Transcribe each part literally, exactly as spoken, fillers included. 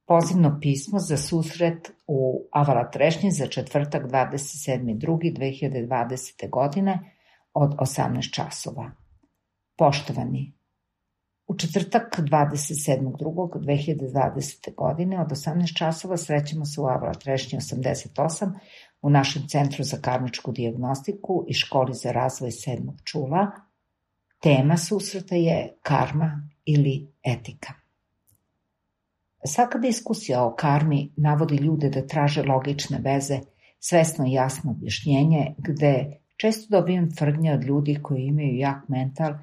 Pozivno pismo za susret u Avala Trešnji za četvrtak dvadeset sedmi drugi dve hiljade dvadesete. godine od osamnaest časova. Poštovani, u četvrtak dvadeset sedmog drugog dve hiljade dvadesete. godine od osamnaest časova srećemo se u Avala Trešnji osamdeset osam u našem Centru za karmičku dijagnostiku i Školi za razvoj sedmog čula. Tema susreta je karma ili etika. Svaka diskusija o karmi navodi ljude da traže logične veze, svesno i jasno objašnjenje, gde često dobijam tvrdnje od ljudi koji imaju jak mental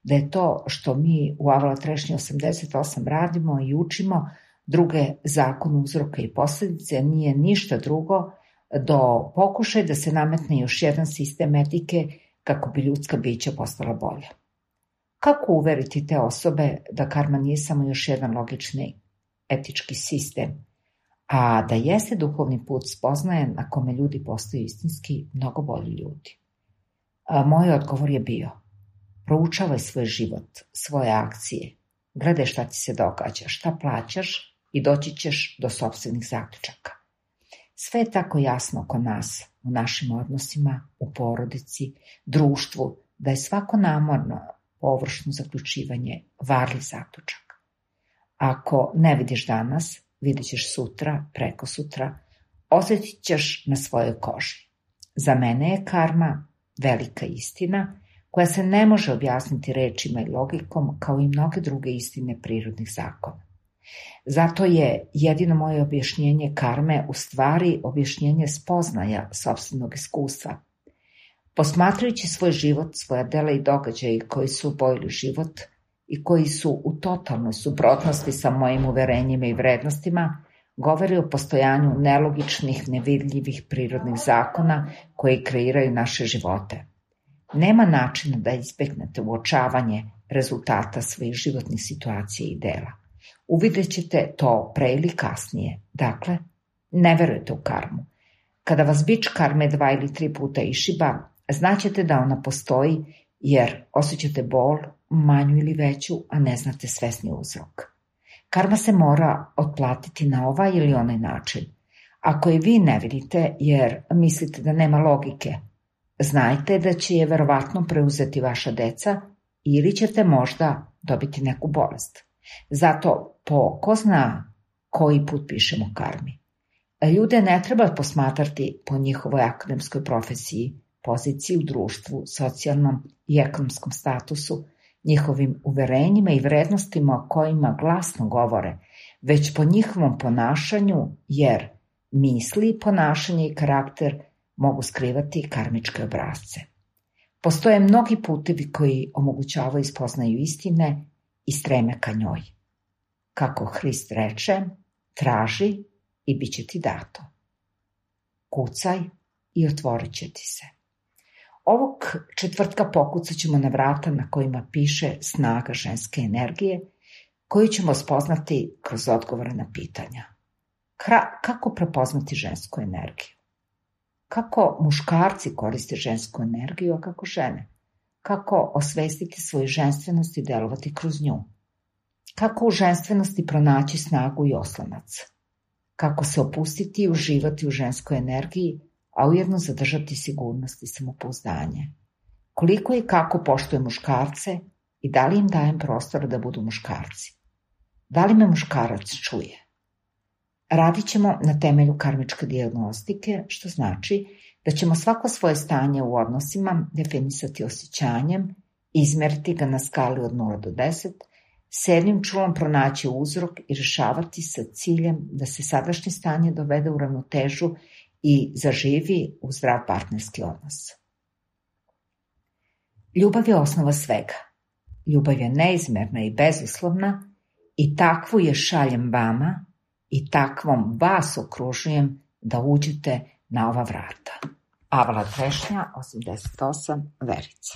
da je to što mi u Avala Trešnji osamdeset osam radimo i učimo druge zakone uzroka i posledice nije ništa drugo do pokušaj da se nametne još jedan sistem etike kako bi ljudska bića postala bolja. Kako uveriti te osobe da karma nije samo još jedan logični etički sistem, a da jeste duhovni put spoznaje na kome ljudi postaju istinski mnogo bolji ljudi? A moj odgovor je bio: proučavaj svoj život, svoje akcije, gledaj šta ti se događa, šta plaćaš i doći ćeš do sopstvenih zaključaka. Sve je tako jasno oko nas, u našim odnosima, u porodici, društvu, da je svako namorno, površno zaključivanje varljiv zaključak. Ako ne vidiš danas, vidit ćeš sutra, preko sutra, osjetit ćeš na svojoj koži. Za mene je karma velika istina koja se ne može objasniti rečima i logikom kao i mnoge druge istine prirodnih zakona. Zato je jedino moje objašnjenje karme u stvari objašnjenje spoznaja sopstvenog iskustva. Posmatrajući svoj život, svoja dela i događaje koji su obojili život i koji su u totalnoj suprotnosti sa mojim uverenjima i vrednostima, govori o postojanju nelogičnih, nevidljivih prirodnih zakona koji kreiraju naše živote. Nema načina da izbegnete uočavanje rezultata svojih životnih situacija i dela. Uvidjet ćete to pre ili kasnije. Dakle, ne verujete u karmu. Kada vas bič karme dva ili tri puta išiba, znaćete da ona postoji jer osjećate bol, manju ili veću, a ne znate svesni uzrok. Karma se mora otplatiti na ovaj ili onaj način. Ako je vi ne vidite jer mislite da nema logike, znajte da će je verovatno preuzeti vaša deca ili ćete možda dobiti neku bolest. Zato po ko zna koji put pišemo karmi. Ljude ne treba posmatrati po njihovoj akademskoj profesiji, poziciji u društvu, socijalnom i ekonomskom statusu, njihovim uverenjima i vrednostima o kojima glasno govore, već po njihovom ponašanju, jer misli, ponašanje i karakter mogu skrivati karmičke obrasce. Postoje mnogi putevi koji omogućavaju spoznaju istine i streme ka njoj. Kako Hrist reče, traži i bit će ti dato. Kucaj i otvorit će ti se. Ovog četvrtka pokucat ćemo na vrata na kojima piše snaga ženske energije, koju ćemo spoznati kroz odgovore na pitanja. Kra- kako prepoznati žensku energiju? Kako muškarci koriste žensku energiju, a kako žene? Kako osvestiti svoju ženstvenost i delovati kroz nju? Kako u ženstvenosti pronaći snagu i oslonac? Kako se opustiti i uživati u ženskoj energiji, a ujedno zadržati sigurnost i samopouzdanje? Koliko i kako poštujem muškarce i da li im dajem prostora da budu muškarci? Da li me muškarac čuje? Radit ćemo na temelju karmičke dijagnostike, što znači da ćemo svako svoje stanje u odnosima definisati osjećanjem, izmeriti ga na skali od nula do deset, sedmim čulom pronaći uzrok i rešavati sa ciljem da se sadašnje stanje dovede u ravnotežu i zaživi u zdrav partnerski odnos. Ljubav je osnova svega. Ljubav je neizmerna i bezuslovna i takvu je šaljem vama i takvom vas okružujem da uđete na ova vrata. Avala Trešnja, osamdeset osam, Verica.